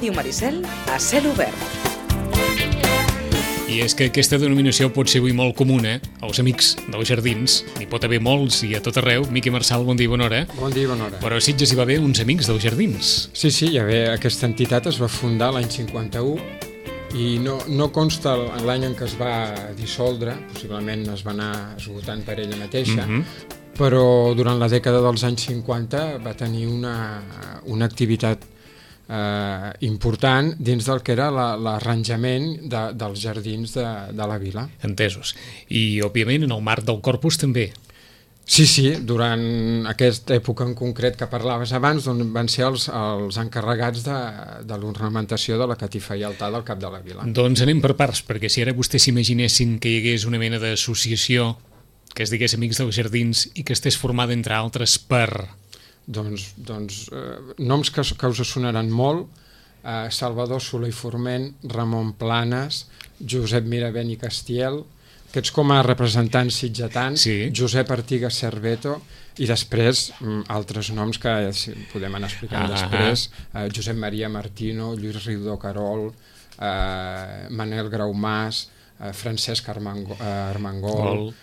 Ràdio Maricel a cel obert. I és que aquesta denominació pot ser avui molt comuna als amics dels jardins. N'hi pot haver molts i a tot arreu. Miqui Marçal, bon dia i bona hora. Bon dia i bona hora. Però a Sitges hi va haver uns amics dels jardins. Sí, aquesta entitat es va fundar l'any 51 i no consta l'any en què es va dissoldre, possiblement es va anar esgotant per ella mateixa, però durant la dècada dels anys 50 va tenir una activitat important dins del que era l'arranjament dels jardins de la vila. Entesos. I, òbviament, en el marc del Corpus també. Sí, durant aquesta època en concret que parlaves abans, doncs van ser els encarregats de l'ornamentació de la catifa i altar del cap de la vila. Doncs anem per parts, perquè si ara vostès s'imaginessin que hi hagués una mena d'associació que es digués Amics dels Jardins i que estés formada, entre altres, per... Doncs noms que us sonaran molt, Salvador Soler i Forment, Ramon Planes, Josep Miravent i Castiel, aquests com a representants sitgetans, sí. Josep Artigas Cerveto, i després altres noms que podem anar explicant després, Josep Maria Martino, Lluís Riudó Carol, Manel Graumàs, Francesc Armengol...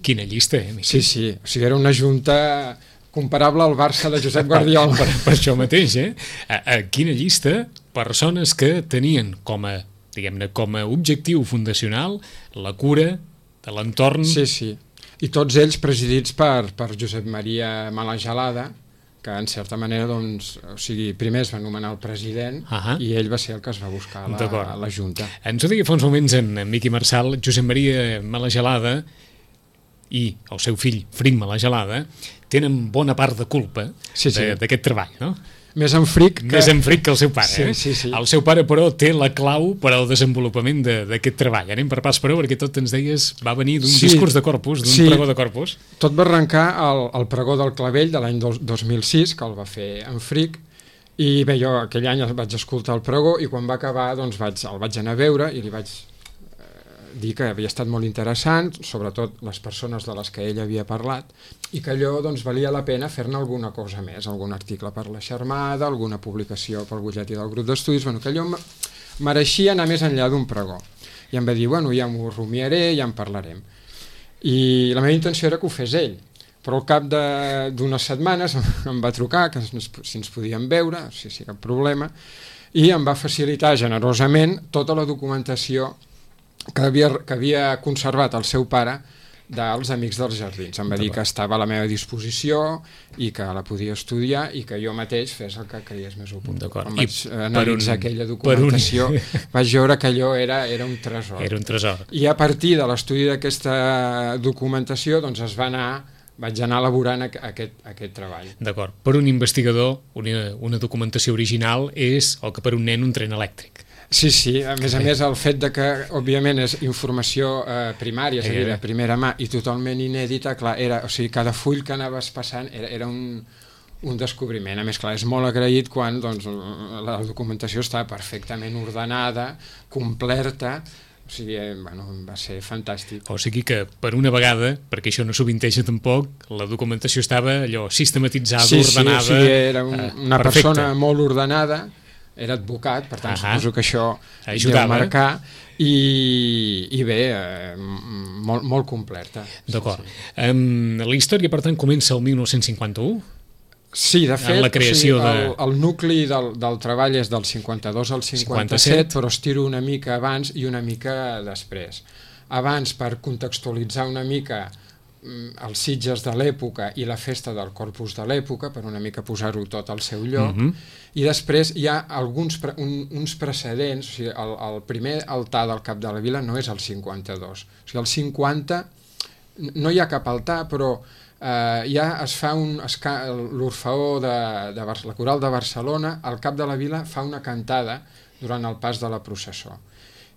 Quina llista, Sí, o sigui, era una junta... comparable al Barça de Josep Guardiola. Per això mateix, Quina llista, persones que tenien com a objectiu fundacional la cura de l'entorn... Sí. I tots ells presidits per Josep Maria Malagelada, que en certa manera, primer es va nomenar el president i ell va ser el que es va buscar a la Junta. Ens ho deia fa uns moments en Miqui Marçal, Josep Maria Malagelada i el seu fill, Fric Malagelada, tenen bona part de culpa d'aquest treball, no? Més en Fric que el seu pare. Sí. El seu pare, però, té la clau per al desenvolupament d'aquest treball. Anem per pas per perquè tot ens deies va venir d'un discurs de Corpus, d'un pregó de Corpus. Tot va arrencar el pregó del Clavell de l'any 2006, que el va fer en Fric, i bé, jo aquell any vaig escoltar el pregó i quan va acabar el vaig anar a veure i li vaig dir que havia estat molt interessant, sobretot les persones de les que ell havia parlat, i que allò valia la pena fer-ne alguna cosa més, algun article per la Xarmada, alguna publicació pel butlletí del grup d'estudis, que allò mereixia anar més enllà d'un pregó. I em va dir, ja m'ho rumiaré, ja en parlarem. I la meva intenció era que ho fes ell, però al cap d'unes setmanes em va trucar, que si ens podíem veure, si cap problema, i em va facilitar generosament tota la documentació que havia conservat el seu pare dels Amics dels Jardins. Em va dir que estava a la meva disposició i que la podia estudiar i que jo mateix fes el que creies més oportú. Quan vaig analitzar aquella documentació vaig veure que allò era un tresor. Era un tresor. I a partir de l'estudi d'aquesta documentació vaig anar elaborant aquest treball. D'acord. Per un investigador, una documentació original és el que per un nen un tren elèctric. Sí, a més el fet de que òbviament és informació primària, és a dir, de primera mà i totalment inèdita, clar, cada full que anaves passant era un descobriment. A més, clar, és molt agraït quan la documentació està perfectament ordenada, completa, o sigui, va ser fantàstic. O sigui que, per una vegada, perquè això no sovinteja tampoc, la documentació estava allò sistematitzada, ordenada... Sí, era una persona molt ordenada, era advocat, per tant suposo que això deu marcar, i bé, molt completa. D'acord. La història, per tant, comença el 1951? Sí, de fet, el nucli del treball és del 52 al 57, però estiro una mica abans i una mica després. Abans, per contextualitzar una mica els Sitges de l'època i la festa del Corpus de l'època, per una mica posar-ho tot al seu lloc, i després hi ha uns precedents, o sigui, el primer altar del cap de la vila no és el 52, o sigui, el 50 no hi ha cap altar, però ja es fa l'Orfeó de la Coral de Barcelona, al cap de la vila fa una cantada durant el pas de la processó.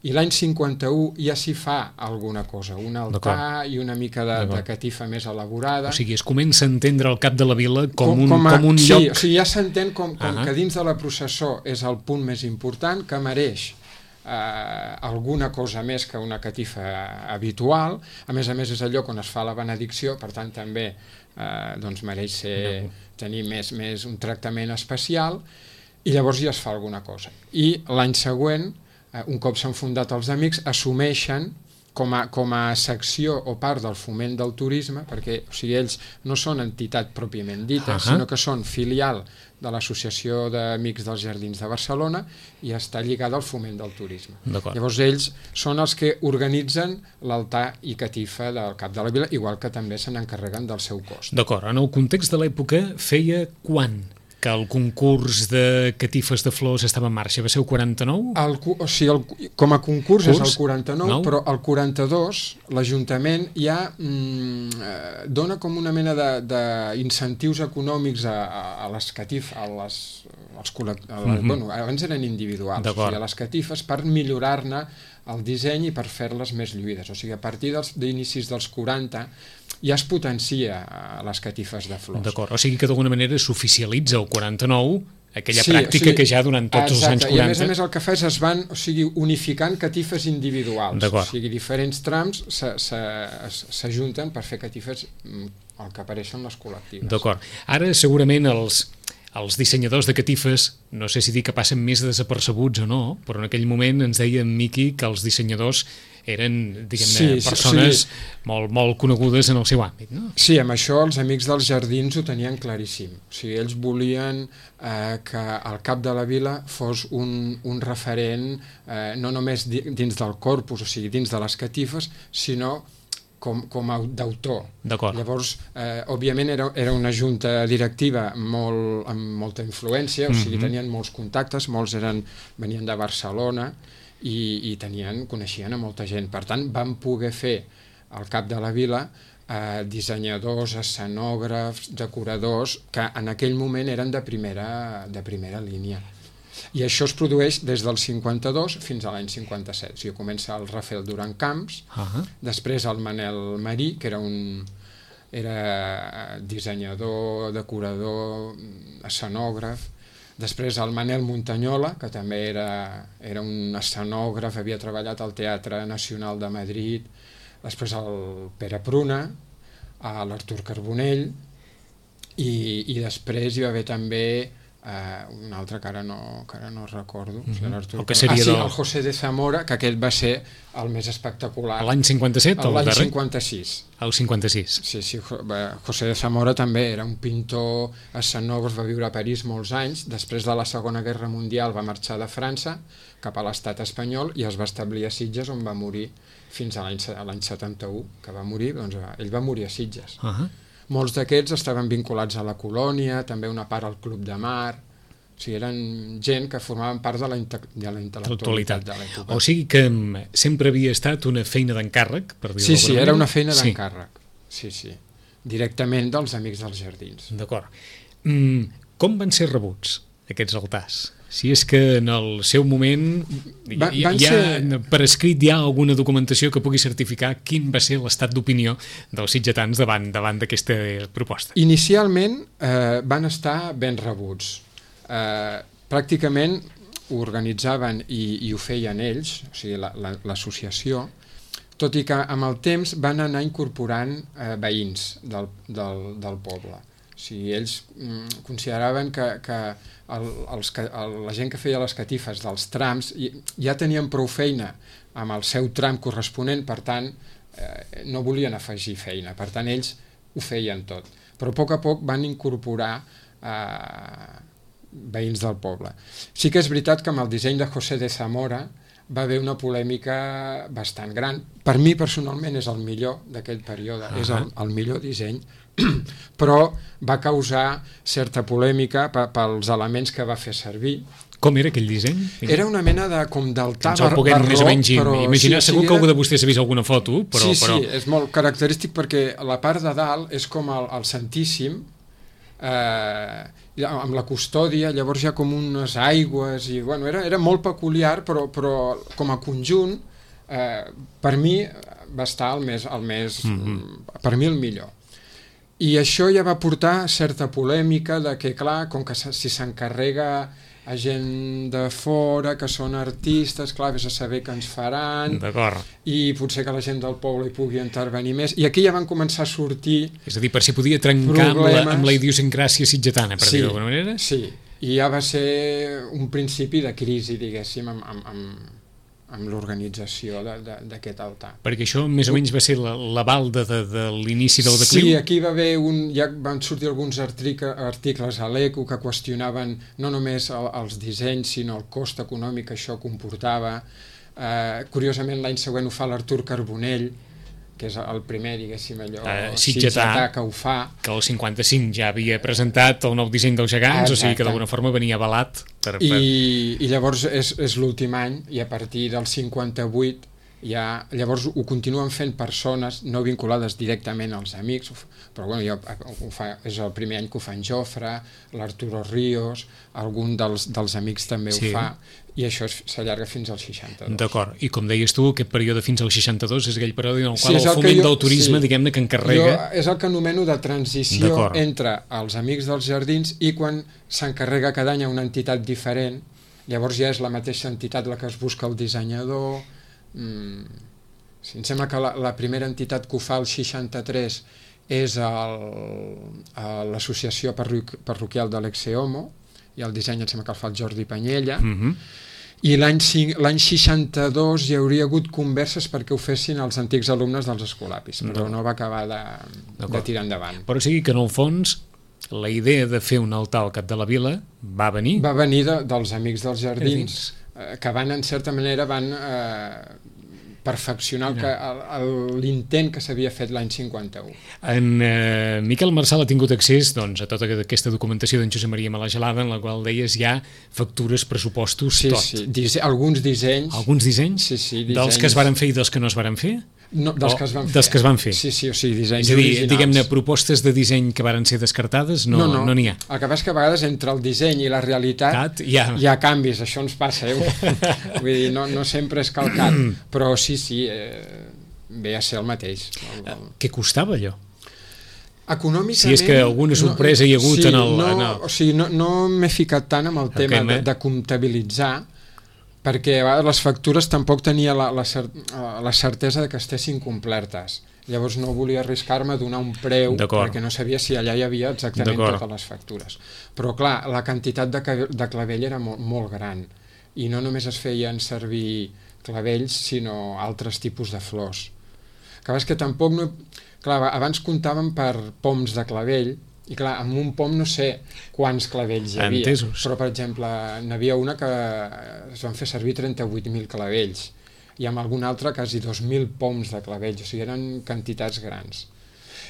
I l'any 51 ja s'hi fa alguna cosa, un altar i una mica de catifa més elaborada. O sigui, es comença a entendre el cap de la vila com un lloc... Sí, o sigui, ja s'entén com que dins de la processó és el punt més important, que mereix alguna cosa més que una catifa habitual. A més és el lloc on es fa la benedicció, per tant també mereix tenir més un tractament especial. i llavors ja es fa alguna cosa. I l'any següent, un cop s'han fundat els amics, assumeixen com a secció o part del foment del turisme, perquè o sigui, ells no són entitat pròpiament dita, sinó que són filial de l'Associació d'Amics dels Jardins de Barcelona i està lligada al foment del turisme. Llavors ells són els que organitzen l'altar i catifa del Cap de la Vila, igual que també se n'encarreguen del seu cost. D'acord, en el context de l'època feia quan que el concurs de catifes de flors estava en marxa? Va ser el 49? Com a concurs és el 49, però el 42 l'Ajuntament ja dona com una mena d'incentius econòmics a les catifes, abans eren individuals, a les catifes per millorar-ne el disseny i per fer-les més lluïdes. O sigui, a partir d'inicis dels 40 ja es potencia les catifes de flors. D'acord, o sigui que d'alguna manera s'oficialitza el 49, aquella pràctica que ja durant tots els anys 40... I a més el que fa és es van unificant catifes individuals. O sigui, diferents trams s'ajunten per fer catifes el que apareixen les col·lectives. D'acord. Ara segurament els dissenyadors de catifes, no sé si dir que passen més desapercebuts o no, però en aquell moment ens deia en Miqui que els dissenyadors eren, diguem-ne, persones molt conegudes en el seu àmbit, no? Sí, amb això els Amics dels Jardins ho tenien claríssim. O sigui, ells volien que el Cap de la Vila fos un referent no només dins del corpus, o sigui, dins de les catifes, sinó com a d'autor. Llavors, òbviament era una junta directiva amb molta influència, o sigui, tenien molts contactes, molts venien de Barcelona i coneixien a molta gent. Per tant, van poder fer al Cap de la Vila dissenyadors, escenògrafs, decoradors, que en aquell moment eren de primera línia. I això es produeix des del 52 fins a l'any 57. O sigui, comença el Rafael Duran Camps, després el Manel Marí, que era dissenyador, decorador, escenògraf, després el Manel Montañola, que també era un escenògraf, havia treballat al Teatre Nacional de Madrid, després el Pere Pruna, l'Artur Carbonell, i després hi va haver també un altre que ara no recordo, el José de Zamora, que aquest va ser el més espectacular. L'any 57? L'any 56. El 56. Sí, José de Zamora també era un pintor escenògraf, va viure a París molts anys, després de la Segona Guerra Mundial va marxar de França cap a l'estat espanyol i es va establir a Sitges, on va morir fins a l'any 71, que va morir, doncs ell va morir a Sitges. Molts d'aquests estaven vinculats a la colònia, també una part al Club de Mar, o sigui, eren gent que formaven part de la intel·lectualitat de l'època. O sigui que sempre havia estat una feina d'encàrrec, per dir-ho d'alguna manera? Sí, era una feina d'encàrrec, sí, directament dels Amics dels Jardins. D'acord. Com van ser rebuts aquests altars? Si és que en el seu moment per escrit hi ha alguna documentació que pugui certificar quin va ser l'estat d'opinió dels sitgetans davant d'aquesta proposta. Inicialment van estar ben rebuts. Pràcticament ho organitzaven i ho feien ells, o sigui, l'associació, tot i que amb el temps van anar incorporant veïns del poble. O sigui, ells consideraven que la gent que feia les catifes dels trams ja tenien prou feina amb el seu tram corresponent, per tant no volien afegir feina, per tant ells ho feien tot, però a poc van incorporar veïns del poble. Sí que és veritat que amb el disseny de José de Zamora va haver una polèmica bastant gran. Per mi personalment és el millor d'aquell període, és el millor disseny, però va causar certa polèmica pels elements que va fer servir. Com era aquell disseny? Era una mena com d'altar barroc, més o menys imaginar. Segur que algú de vostès ha vist alguna foto, però... Sí, és molt característic perquè la part de dalt és com el Santíssim, amb la custòdia, llavors hi ha com unes aigües, i bueno, era molt peculiar, però com a conjunt, per mi va estar per mi el millor. I això ja va portar certa polèmica de que, clar, com que si s'encarrega a gent de fora, que són artistes, clar, vés a saber què ens faran, i potser que la gent del poble hi pugui intervenir més, i aquí ja van començar a sortir... És a dir, per si podia trencar amb la idiosincràsia sitgetana, per dir-ho d'alguna manera? Sí, I ja va ser un principi de crisi, diguéssim, amb l'organització d'aquest altar. Perquè això més o menys va ser l'aval de l'inici del decliu? Sí, aquí va haver ja van sortir alguns articles a l'ECO que qüestionaven no només els dissenys, sinó el cost econòmic que això comportava. Curiosament, l'any següent ho fa l'Artur Carbonell, que és el primer, diguéssim, sitgetà que ho fa. Que el 55 ja havia presentat el nou disseny dels gegants, o sigui que d'alguna forma venia avalat. I llavors és l'últim any, i a partir del 58 llavors ho continuen fent persones no vinculades directament als amics, però bueno, és el primer any que ho fa en Jofre, l'Arturo Ríos, algun dels amics també ho fa, i això s'allarga fins al 62. D'acord, i com deies tu, aquest període fins al 62 és aquell període en el qual el foment del turisme, diguem-ne, que encarrega... És el que anomeno de transició entre els Amics dels Jardins i quan s'encarrega cada any a una entitat diferent, llavors ja és la mateixa entitat la que es busca el dissenyador. Em sembla que la primera entitat que ho fa el 63 és l'associació parroquial de l'Exeomo, i el disseny em sembla que el fa el Jordi Panyella, i l'any 62 hi hauria hagut converses perquè ho fessin els antics alumnes dels Escolapis, però no va acabar de tirar endavant. Però o sigui que en el fons la idea de fer un altar al cap de la vila va venir? Va venir dels Amics dels Jardins, que en certa manera van perfeccionar l'intent que s'havia fet l'any 51. En Miquel Marçal ha tingut accés a tota aquesta documentació d'en Josep Maria Malagelada, en la qual deies ja factures, pressupostos, tot. Sí, alguns dissenys. Alguns dissenys? Sí, dels que es varen fer i dels que no es varen fer? No, dels que es van fer. Dels que es van fer. Sí, o sigui, dissenys originals. És a dir, originals. diguem-ne, propostes de disseny que varen ser descartades, no n'hi ha. El que passa és que a vegades entre el disseny i la realitat hi ha canvis, això ens passa, Vull dir, no sempre és calcat, però sí, ve a ser el mateix. Què costava allò? Econòmicament... Si és que alguna sorpresa hi ha hagut en el... O sigui, no m'he ficat tant amb el tema de comptabilitzar, perquè a vegades les factures tampoc tenia la certesa de que estessin complertes. Llavors no volia arriscar-me a donar un preu perquè no sabia si allà hi havia exactament totes les factures. Però clar, la quantitat de clavell era molt gran, i no només es feien servir clavells, sinó altres tipus de flors. És que tampoc Clar, abans comptàvem per poms de clavell, i clar, amb un pom no sé quants clavells hi havia. Entesos. Però, per exemple, n'hi havia una que es van fer servir 38.000 clavells, i amb alguna altra quasi 2.000 poms de clavells, o sigui, eren quantitats grans.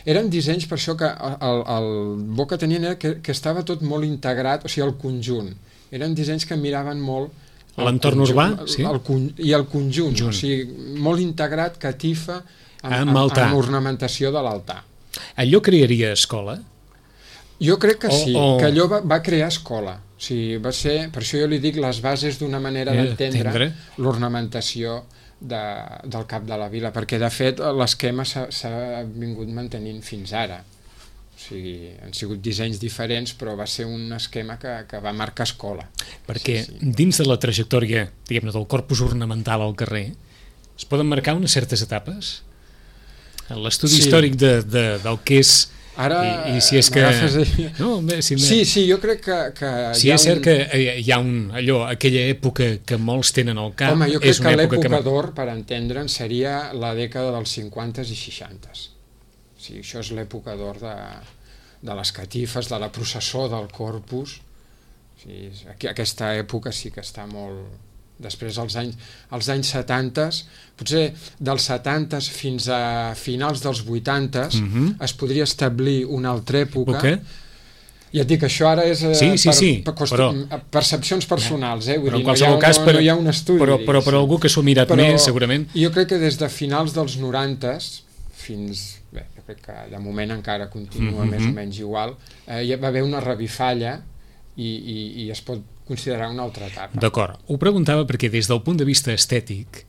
Eren dissenys, per això que el bo que tenien era que estava tot molt integrat, o sigui, el conjunt. Eren dissenys que miraven molt l'entorn urbà, sí? I el conjunt, o sigui, molt integrat, catifa, amb ornamentació de l'altar. Allò crearia escola? Jo crec que sí, que allò va crear escola. O sigui, va ser, per això jo li dic les bases d'una manera d'entendre l'ornamentació del cap de la vila, perquè de fet l'esquema s'ha vingut mantenint fins ara. O sigui, han sigut dissenys diferents, però va ser un esquema que va marcar escola. Perquè dins de la trajectòria, diguem-ne, del corpus ornamental al carrer, es poden marcar unes certes etapes? L'estudi històric del que és... Ara i si és que... Sí, jo crec que si és cert que hi ha aquella època que molts tenen al cap. Home, jo crec que l'època d'or, per entendre'n, seria la dècada dels 50s i 60s. O sigui, això és l'època d'or de les catifes, de la processó del Corpus. O sigui, aquesta època sí que està molt... Després, als anys 70, potser dels 70 fins a finals dels 80, es podria establir una altra època. Ja et dic, això ara és percepcions personals, vull dir, no hi ha un estudi. Però per algú que s'ho ha mirat més, segurament... Jo crec que des de finals dels 90 fins... Bé, jo crec que de moment encara continua més o menys igual. Hi va haver una revifalla i es pot considerar una altra etapa. D'acord. Ho preguntava perquè des del punt de vista estètic,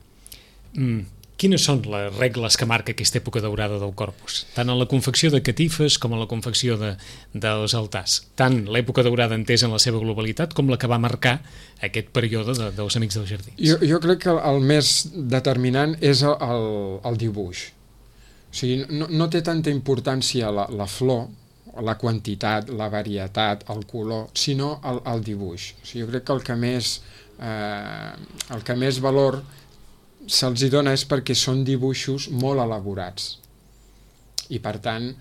quines són les regles que marca aquesta època daurada del Corpus? Tant en la confecció de catifes com en la confecció dels altars. Tant l'època daurada entesa en la seva globalitat com la que va marcar aquest període dels Amics dels Jardins. Jo crec que el més determinant és el dibuix. O sigui, no té tanta importància la flor, la quantitat, la varietat, el color, sinó el dibuix. O sigui, jo crec que el que més valor se'ls hi dona és perquè són dibuixos molt elaborats i per tant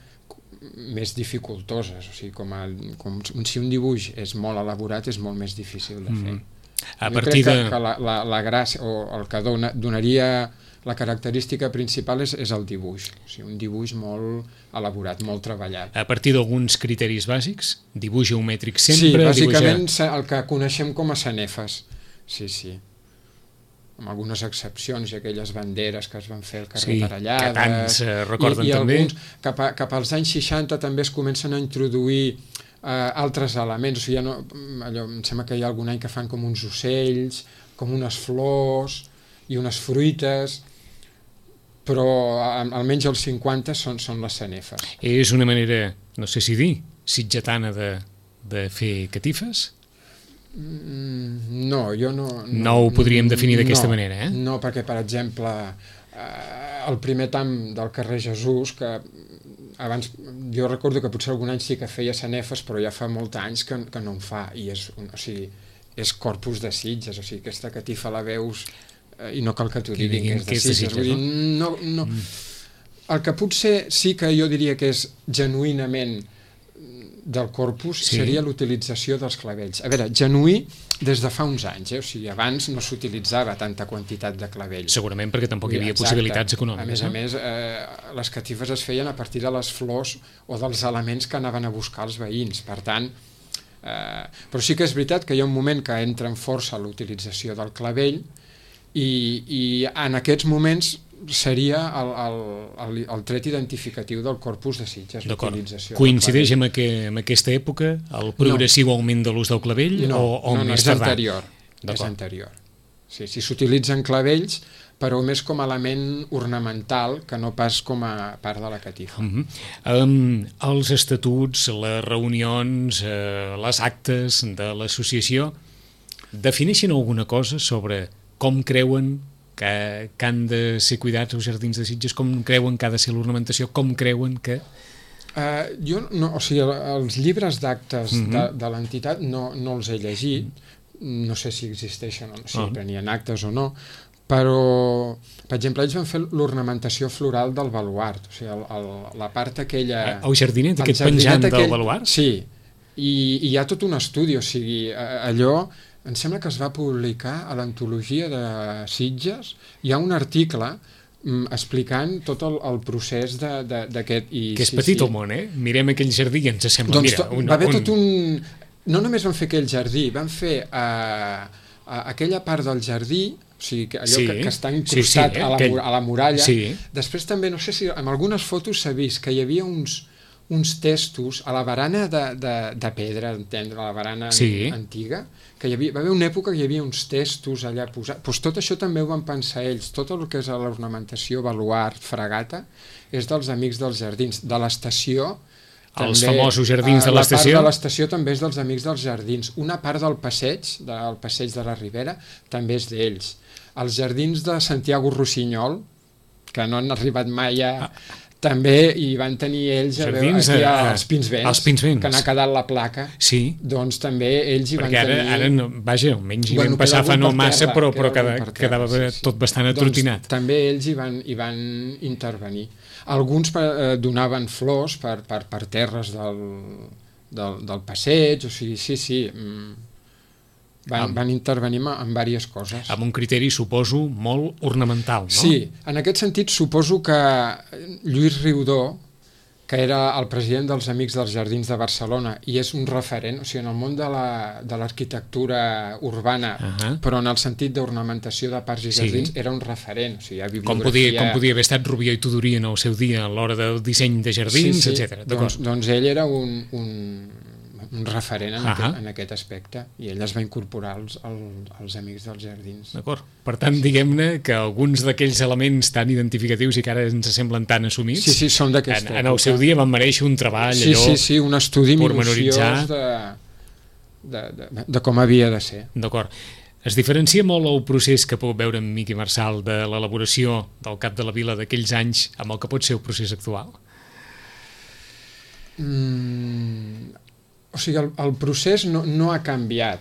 més dificultoses, o sigui, com si un dibuix és molt elaborat és molt més difícil de fer. Jo crec que la gràcia o el que donaria la característica principal és el dibuix, o sigui, un dibuix molt elaborat, molt treballat. A partir d'alguns criteris bàsics, dibuix geomètric sempre... Sí, bàsicament el que coneixem com a sanefes, sí. Amb algunes excepcions, i aquelles banderes que es van fer al carrer Tarallades... que tants recorden i també. Alguns, cap als anys 60 també es comencen a introduir altres elements, o sigui, em sembla que hi ha algun any que fan com uns ocells, com unes flors i unes fruites, però almenys els 50 són les sanefes. És una manera, no sé si dir, sitgetana de fer catifes? No, jo no... No ho podríem definir d'aquesta manera, No, perquè, per exemple, el primer tam del carrer Jesús, que abans, jo recordo que potser algun any sí que feia sanefes, però ja fa molts anys que no en fa, i és Corpus de Sitges, o sigui, aquesta catifa la veus i no cal que t'ho diguin que és de Sitges. Vull dir, no. El que potser sí que jo diria que és genuïnament del Corpus seria l'utilització dels clavells. A veure, genuí des de fa uns anys, o sigui, abans no s'utilitzava tanta quantitat de clavells. Segurament perquè tampoc hi havia possibilitats econòmiques. A més, les catifes es feien a partir de les flors o dels elements que anaven a buscar els veïns, per tant, però sí que és veritat que hi ha un moment que entra en força l'utilització del clavell i en aquests moments seria el tret identificatiu del Corpus de Sitges. D'acord. Coincideix amb aquesta època el progressiu augment de l'ús del clavell? No, és anterior. És anterior. Sí, s'utilitzen clavells, però més com a element ornamental que no pas com a part de la catifa. Els estatuts, les reunions, les actes de l'associació defineixen alguna cosa sobre com creuen que han de ser cuidats els jardins de Sitges, com creuen que ha de ser l'ornamentació, com creuen que... Jo no, o sigui, els llibres d'actes de l'entitat no els he llegit, no sé si existeixen o no, si prenien actes o no, però, per exemple, ells van fer l'ornamentació floral del baluart, o sigui, la part aquella... El jardinet, aquest penjant del baluart? Sí, i hi ha tot un estudi, o sigui, allò... Em sembla que es va publicar a l'antologia de Sitges, hi ha un article explicant tot el procés d'aquest... Que és petit el món, Mirem aquell jardí i ens sembla... Doncs va haver tot un... No només van fer aquell jardí, van fer aquella part del jardí, o sigui, allò que està incrustat a la muralla. Després també, no sé si en algunes fotos s'ha vist que hi havia uns testos a la barana de pedra, entendre, a la barana antiga, que va haver una època que hi havia uns testos allà posats. Doncs tot això també ho van pensar ells. Tot el que és l'ornamentació, baluart, fregata, és dels Amics dels Jardins. De l'estació... Els famosos jardins de l'estació? La part de l'estació també és dels Amics dels Jardins. Una part del passeig de la Ribera, també és d'ells. Els jardins de Santiago Rossinyol, que no han arribat mai a... També hi van tenir ells els Pins Vents, que n'ha quedat la placa, doncs també ells hi van tenir... Perquè ara, vaja, almenys hi vam passar fa no massa, però quedava tot bastant atrotinat. També ells hi van intervenir. Alguns donaven flors per terres del passeig, o sigui, van intervenir en diverses coses. Amb un criteri, suposo, molt ornamental, no? Sí, en aquest sentit suposo que Lluís Riudó, que era el president dels Amics dels Jardins de Barcelona i és un referent, o sigui, en el món de l'arquitectura urbana, però en el sentit d'ornamentació de parcs i jardins, era un referent. O sigui, hi ha bibliografia... Com podia haver estat Rubió i Tudurí en el seu dia a l'hora del disseny de jardins, etc. Doncs ell era un referent en aquest aspecte i ell es va incorporar als Amics dels Jardins. D'acord. Per tant, diguem-ne que alguns d'aquells elements tan identificatius i que ara ens semblen tan assumits són d'aquesta època. En el seu dia van mereixer un treball un estudi minuciós de com havia de ser. D'acord. Es diferencia molt el procés que puc veure en Miqui Marçal de l'elaboració del Cap de la Vila d'aquells anys amb el que pot ser el procés actual? O sigui, el procés no ha canviat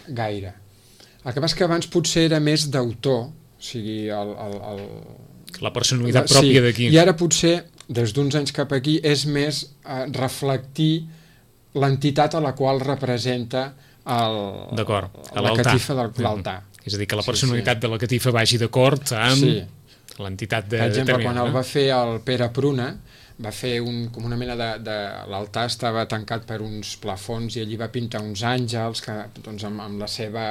gaire. El que passa és que abans potser era més d'autor, o sigui, la personalitat pròpia d'aquí. I ara potser, des d'uns anys cap aquí, és més reflectir l'entitat a la qual representa la catifa de l'altar. És a dir, que la personalitat de la catifa vagi d'acord amb l'entitat de... Per exemple, quan el va fer el Pere Pruna, va fer com una mena de... L'altar estava tancat per uns plafons i allí va pintar uns àngels que, doncs, amb la seva...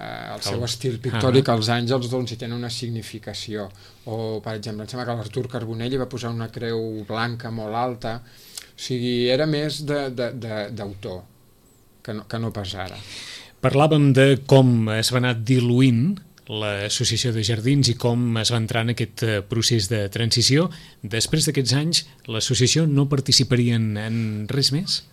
el seu estil pictòric, els àngels doncs, hi tenen una significació. O, per exemple, em sembla que l'Artur Carbonell hi va posar una creu blanca molt alta. O sigui, era més d'autor que no pas ara. Parlàvem de com es va anar diluint l'Associació de Jardins i com es va entrar en aquest procés de transició. Després d'aquests anys, l'associació no participaria en res més?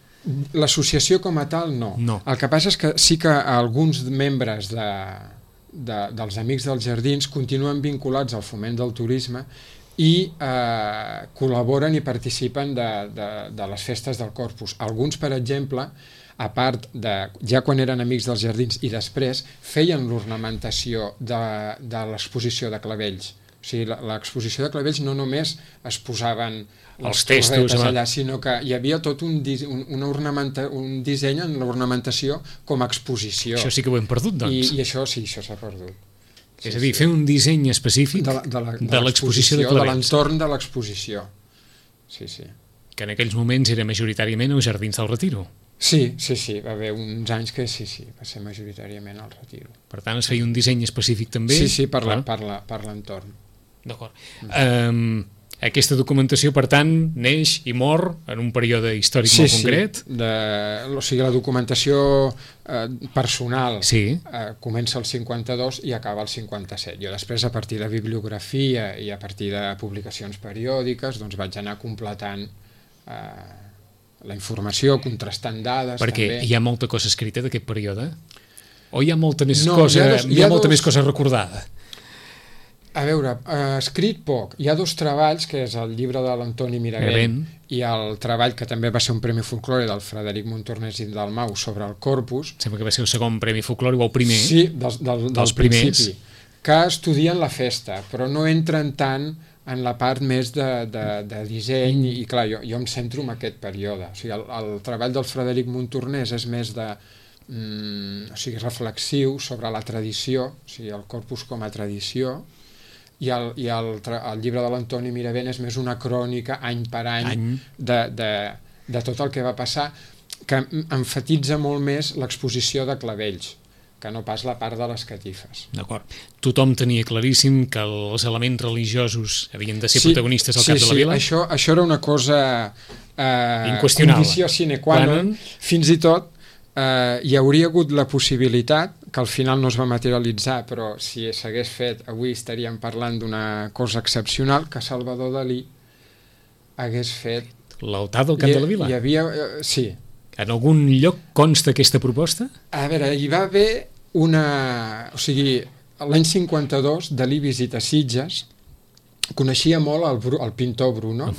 L'associació com a tal, no. El que passa és que sí que alguns membres dels Amics dels Jardins continuen vinculats al foment del turisme i col·laboren i participen de les festes del Corpus. Alguns, per exemple, a part ja quan eren Amics dels Jardins i després, feien l'ornamentació de l'exposició de clavells. O sigui, l'exposició de clavells no només es posaven els textos allà, sinó que hi havia tot un disseny en l'ornamentació com a exposició. Això sí que ho hem perdut, doncs. I això sí, això s'ha perdut. És a dir, fer un disseny específic de l'exposició de clavells. De l'entorn de l'exposició. Sí. Que en aquells moments era majoritàriament als Jardins del Retiro. Sí, va haver uns anys que sí, va ser majoritàriament al Retiro. Per tant, es feia un disseny específic també? Sí, per l'entorn. D'acord. Aquesta documentació, per tant, neix i mor en un període històric molt concret? O sigui, la documentació personal comença al 52 i acaba al 57. Jo després, a partir de bibliografia i a partir de publicacions periòdiques, doncs vaig anar completant la informació, contrastant dades... Perquè també. Hi ha molta cosa escrita d'aquest període? O hi ha molta més cosa recordada? A veure, escrit poc. Hi ha dos treballs, que és el llibre de l'Antoni Miravent i el treball que també va ser un Premi Folklore del Frederic Montornès i Dalmau sobre el Corpus. Sembla que va ser el segon Premi Folklore o el primer. Sí, del principi. Que estudien la festa, però no entren tant en la part més de disseny i clar, jo em centro en aquest període. O sigui, el treball del Frederic Montornès és més reflexiu sobre la tradició, o sigui, el Corpus com a tradició, i el llibre de l'Antoni Miravent és més una crònica any per any de tot el que va passar, que emfatitza molt més l'exposició de clavells que no pas la part de les catifes. D'acord. Tothom tenia claríssim que els elements religiosos havien de ser protagonistes al cap de la vila? Sí, això era una cosa inqüestionable. Condició sine qua non. Fins i tot hi hauria hagut la possibilitat, que al final no es va materialitzar, però si s'hagués fet avui estaríem parlant d'una cosa excepcional, que Salvador Dalí hagués fet... L'altar del cap de la vila? Hi havia... sí. En algun lloc consta aquesta proposta? A veure, hi va haver una... O sigui, l'any 52 Dalí visita Sitges, coneixia molt el pintor Bruno,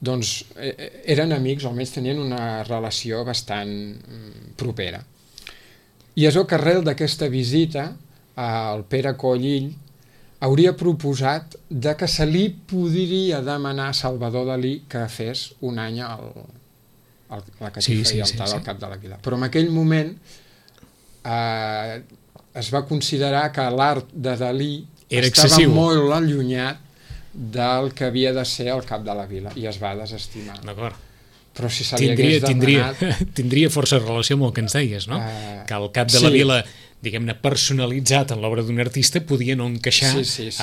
doncs eren amics, o almenys tenien una relació bastant propera. I és que arrel d'aquesta visita el Pere Collill hauria proposat que se li podria demanar a Salvador Dalí que fes un any la catifa i altar del cap de la vila. Però en aquell moment es va considerar que l'art de Dalí estava molt allunyat del que havia de ser el cap de la vila i es va desestimar. D'acord. Però si se li hagués demanat... Tindria força relació amb el que ens deies, no? Que el cap de la vila, diguem-ne, personalitzat en l'obra d'un artista podia no encaixar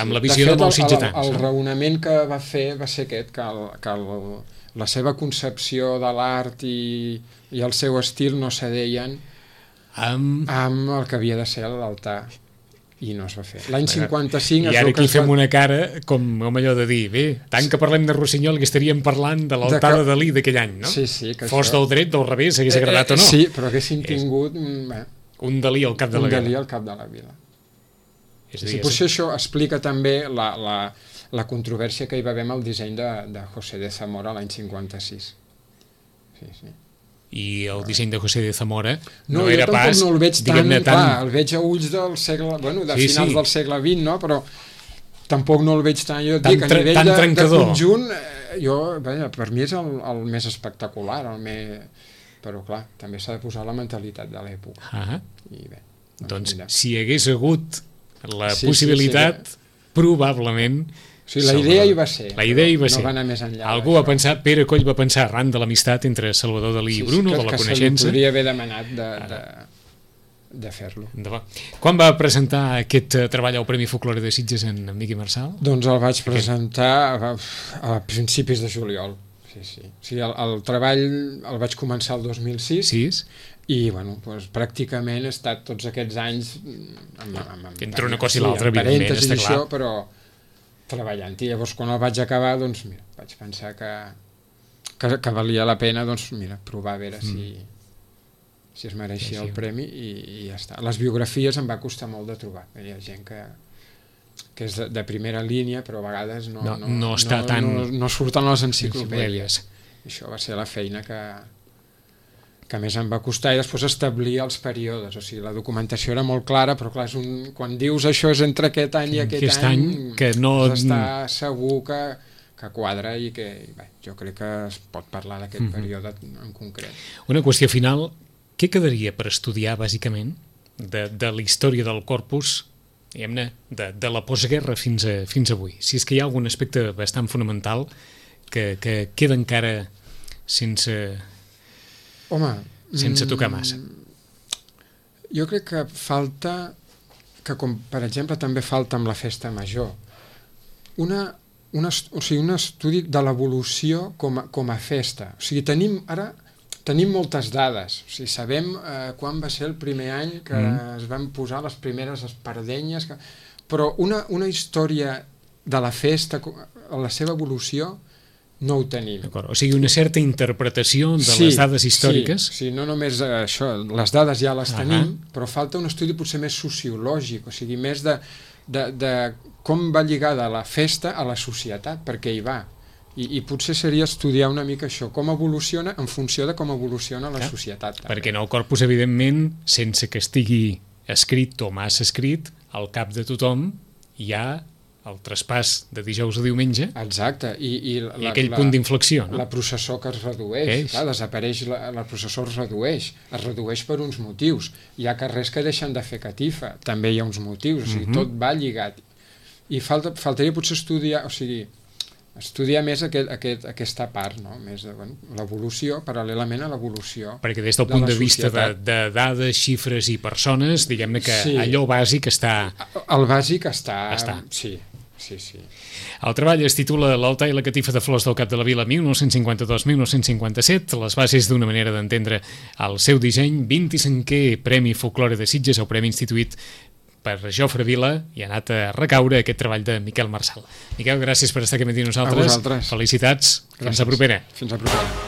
amb la visió de molts sitgetans. El raonament que va fer va ser aquest, que la seva concepció de l'art i el seu estil no cedeien amb el que havia de ser l'altar. I no es va fer. L'any 55... I ara aquí fem una cara com allò de dir, bé, tant que parlem de Rossinyol que estaríem parlant de l'altar de Dalí d'aquell any, no? Sí. Fos del dret, del revés, hagués agradat o no. Sí, però haguéssim tingut... Un Dalí al cap de la vila. Un Dalí al cap de la vila. Potser això explica també la controvèrsia que hi va haver amb el disseny de José de Zamora l'any 56. Sí, sí. I el disseny de José de Zamora no era pas, no el veig tan, clar, el veig a ulls del segle, bueno, de finals del segle XX, no? Però tampoc no el veig tan, jo dic, a nivell de conjunt, per mi és el més espectacular, però clar, també s'ha de posar la mentalitat de l'època. I bé, doncs si hi hagués hagut la possibilitat, probablement... O sigui, la idea hi va ser, no va anar més enllà. Algú va pensar, Pere Coll va pensar arran de l'amistat entre Salvador Dalí i Bruno, de la coneixença. Que se li podria haver demanat de fer-lo. Quan va presentar aquest treball al Premi Folklore de Sitges en Miqui Marçal? Doncs el vaig presentar a principis de juliol. Sí. O sigui, el treball el vaig començar el 2006 i bueno, doncs, pràcticament he estat tots aquests anys entre una cosa i l'altra, evidentment, està clar. Però treballant, i llavors quan el vaig acabar, doncs mira, vaig pensar que valia la pena, doncs mira, provar a veure si es mereixia el premi i ja està. Les biografies em va costar molt de trobar, hi ha gent que és de primera línia, però a vegades no surten les enciclopèdies. Això va ser la feina que més em va costar, i després establir els períodes, o sigui, la documentació era molt clara, però clar, quan dius això és entre aquest any i aquest any, que no... has d'estar segur que quadra i que jo crec que es pot parlar d'aquest període en concret. Una qüestió final, què quedaria per estudiar bàsicament de la història del corpus, diguem-ne, de la postguerra fins avui? Si és que hi ha algun aspecte bastant fonamental que queda encara sense tocar massa. Jo crec que falta, que com per exemple també falta amb la festa major, un estudi de l'evolució com a festa. O sigui, tenim moltes dades, o sigui, sabem quan va ser el primer any que es van posar les primeres espardenyes, però una història de la festa, la seva evolució, no ho tenim. O sigui, una certa interpretació de les dades històriques. Sí, no només això, les dades ja les tenim, però falta un estudi potser més sociològic, o sigui, més de com va lligada la festa a la societat, perquè hi va. I potser seria estudiar una mica això, com evoluciona en funció de com evoluciona la societat. Perquè en el corpus, evidentment, sense que estigui escrit o massa escrit, al cap de tothom hi ha el traspàs de dijous a diumenge. Exacte. I aquell punt d'inflexió, no? La processó que es redueix. Clar, desapareix, la processó es redueix per uns motius. Hi ha carrers que deixen de fer catifa, també hi ha uns motius, o sigui, tot va lligat. I faltaria potser estudiar més aquesta part, no? Més de l'evolució, paral·lelament a l'evolució. Perquè des del punt de vista de dades, xifres i persones, diguem-ne que allò bàsic està... El bàsic està. Sí. El treball es titula L'altar i la catifa de flors del Cap de la Vila 1952-1957, les bases d'una manera d'entendre el seu disseny, 25è Premi Folklore de Sitges, el premi instituït per Jofre Vila, i ha anat a recaure aquest treball de Miquel Marçal. Miquel, gràcies per estar aquí amb nosaltres. A vosaltres. Felicitats. Fins a propera. Fins a propera.